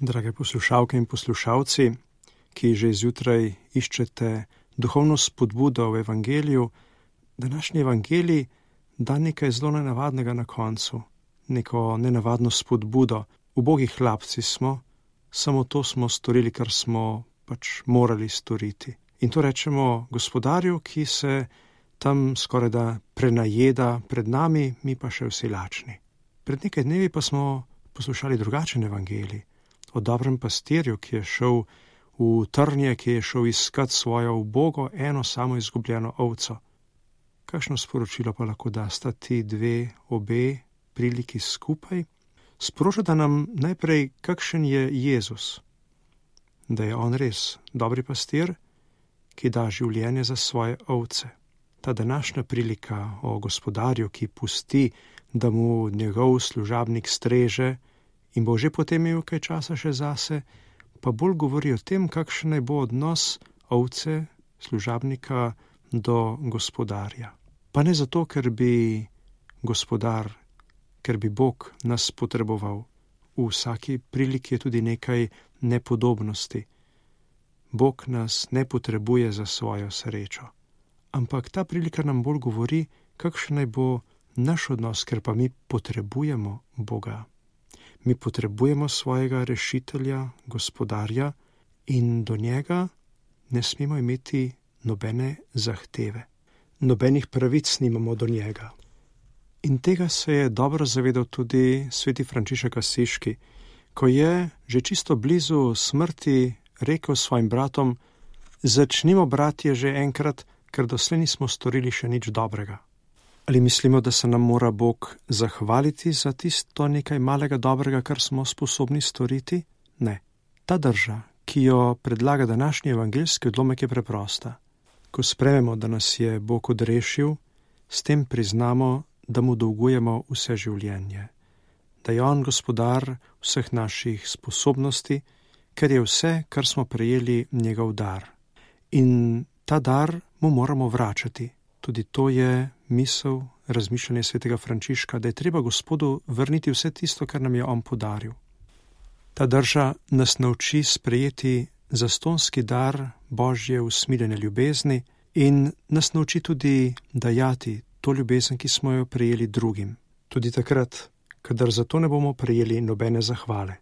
Drage poslušalke in poslušalci, ki že zjutraj iščete duhovno spodbudo v evangeliju, današnji evangelij da nekaj zelo nenavadnega na koncu, neko nenavadno spodbudo. Ubogi hlapci smo, samo to smo storili, kar smo pač morali storiti. In to rečemo gospodarju, ki se tam skorajda prenajeda pred nami, mi pa še vsi lačni. Pred nekaj dnevi pa smo poslušali drugačen evangelij o dobrem pastirju, ki je šel v trnje, ki je šel iskat svojo ubogo, eno samo izgubljeno ovco. Kakšno sporočilo pa lahko dasta ti obe priliki skupaj? Sporočata nam najprej, kakšen je Jezus, da je on res dobri pastir, ki da življenje za svoje ovce. Ta današnja prilika o gospodarju, ki pusti, da mu njegov služabnik streže in bo že potem imel kaj časa še zase, pa bolj govori o tem, kakšen naj bo odnos ovce, služabnika do gospodarja. Pa ne zato, ker bi Bog nas potreboval. V vsaki priliki je tudi nekaj nepodobnosti. Bog nas ne potrebuje za svojo srečo. Ampak ta prilika nam bolj govori, kakšen naj bo naš odnos, ker pa mi potrebujemo Boga. Mi potrebujemo svojega rešitelja, gospodarja in do njega ne smemo imeti nobene zahteve. Nobenih pravic nimamo do njega. In tega se je dobro zavedal tudi sveti Frančišek Asiški, ko je že čisto blizu smrti rekel svojim bratom: začnimo, bratje, že enkrat, ker doslej nismo storili še nič dobrega. Ali mislimo, da se nam mora Bog zahvaliti za tisto nekaj malega dobrega, kar smo sposobni storiti? Ne. Ta drža, ki jo predlaga današnji evangeljski odlomek, je preprosta. Ko sprejmemo, da nas je Bog odrešil, s tem priznamo, da mu dolgujemo vse življenje, da je on gospodar vseh naših sposobnosti, ker je vse, kar smo prejeli, njegov dar. In ta dar mu moramo vračati. Tudi to je misel, razmišljanje svetega Frančiška, da je treba Gospodu vrniti vse tisto, kar nam je on podaril. Ta drža nas nauči sprejeti zastonski dar Božje usmiljene ljubezni in nas nauči tudi dajati to ljubezen, ki smo jo prejeli drugim. Tudi takrat, kadar za to ne bomo prejeli nobene zahvale.